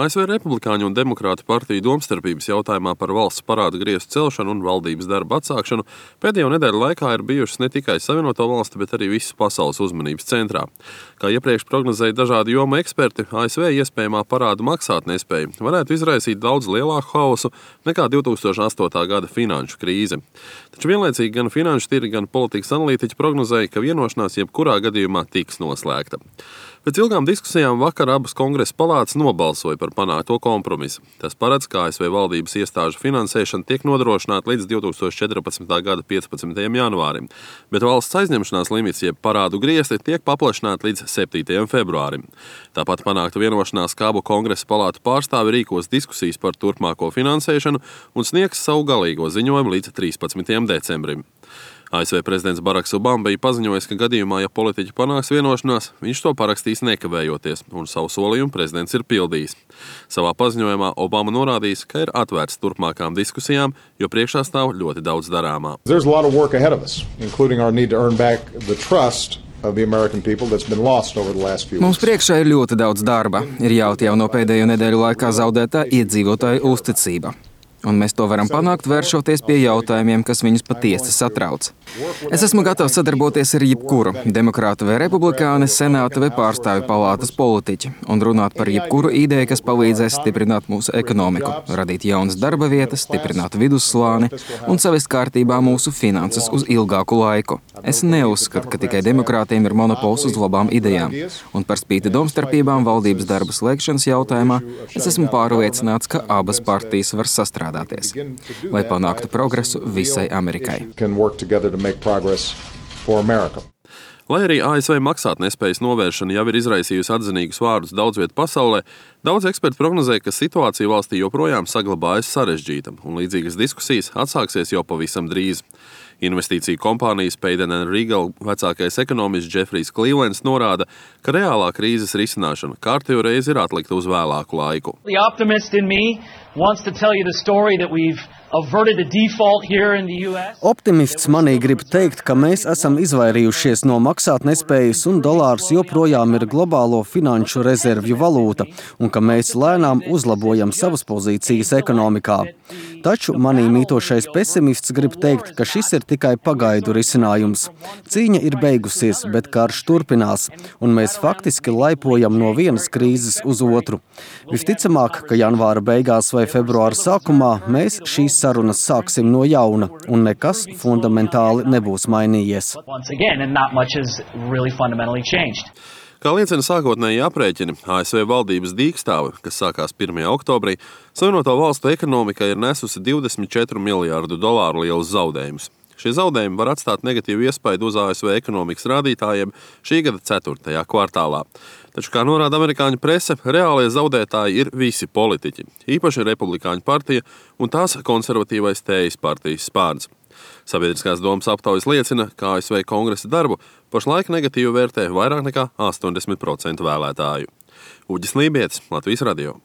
ASV Republikāņu un Demokrātu partiju domstarpības jautājumā par valsts parāda griestu celšanu un valdības darba atsākšanu pēdējo nedēļu laikā ir bijušas ne tikai Savienoto Valstu, bet arī visas pasaules uzmanības centrā. Kā iepriekš prognozēja dažādi jomu eksperti, ASV iespējamā parādu maksātnespēja varētu izraisīt daudz lielāku haosu nekā 2008. gada finanšu krīze. Taču vienlaicīgi gan finanšu tirgi, gan politikas analītiķi prognozēja, ka vienošanās jebkurā gadījumā tiks noslēgta. Pēc ilgām diskusijām vakar abas kongresa palātas nobalsoja par panākto kompromisu. Tas paredz, ka ASV valdības iestāžu finansēšana tiek nodrošināta līdz 2014. gada 15. janvārim, bet valsts aizņemšanās limits, jeb parādu griesti, tiek paplašināti līdz 7. februārim. Tāpat panākta vienošanās, ka abu kongresa palātu pārstāvi rīkos diskusijas par turpmāko finansēšanu un sniegs savu galīgo ziņojumu līdz 13. decembrim. ASV prezidents Baraks Obama bija paziņojis, ka gadījumā, ja politiķi panāks vienošanās, viņš to parakstīs nekavējoties, un savu solījumu prezidents ir pildījis. Savā paziņojumā Obama norādījis, ka ir atvērts turpmākām diskusijām, jo priekšā stāv ļoti daudz darāmā. Mums priekšā ir ļoti daudz darba. Ir jāatjauno pēdējo nedēļu laikā zaudētā iedzīvotāju uzticība. Un mēs to varam panākt, vēršoties pie jautājumiem, kas viņus patiesi satrauc. Es esmu gatavs sadarboties ar jebkuru demokrātu vai republikāni, senāta vai pārstāvju palātas politiķi un runāt par jebkuru ideju, kas palīdzēs stiprināt mūsu ekonomiku, radīt jaunas darba vietas, stiprināt vidusslāni un savest kārtībā mūsu finanses uz ilgāku laiku. Es neuzskatu, ka tikai demokrātiem ir monopols uz labām idejām, un par spīti domstarpībām valdības darba slēgšanas jautājumā es esmu pārliecināts, ka abas partijas var sastrādāties, lai panāktu progresu visai Amerikai. Lai arī ASV maksātnespējas novēršana jau ir izraisījusi atzinīgus vārdus daudz viet pasaulē, daudz eksperti prognozēja, ka situācija valstī joprojām saglabājas sarežģīta, un līdzīgas diskusijas atsāksies jau pavisam drīz. Investīciju kompānijas Payden & Regal vecākais ekonomists Jeffrijs Clevelands norāda, ka reālā krīzes risināšana kārtējo reizi ir atlikta uz vēlāku laiku. Optimists manī grib teikt, ka mēs esam izvairījušies no maksātnespējas un dolārs joprojām ir globālo finanšu rezervju valūta un ka mēs lēnām uzlabojam savas pozīcijas ekonomikā. Taču manī mītošais pesimists grib teikt, ka šis ir tikai pagaidu risinājums. Cīņa ir beigusies, bet karš turpinās, un mēs faktiski laipojam no vienas krīzes uz otru. Visticamāk, ka janvāra beigās vai februāra sākumā mēs šīs sarunas sāksim no jauna, un nekas fundamentāli nebūs mainījies. Kā liecina sākotnēji aprēķini, ASV valdības dīkstāve, kas sākās 1. oktobrī, Savienoto Valstu ekonomika ir nesusi $24 miljārdu lielus zaudējumus. Šie zaudējumi var atstāt negatīvu iespaidu uz ASV ekonomikas rādītājiem šī gada 4. kvartālā. Taču, kā norāda amerikāņu prese, reālie zaudētāji ir visi politiķi, īpaši Republikāņu partija un tās konservatīvais Tējas partijas spārns. Sabiedriskās domas aptaujas liecina, ka ASV kongresa darbu pašlaik negatīvi vērtē vairāk nekā 80% vēlētāju. Uģis Lībietis, Latvijas radio.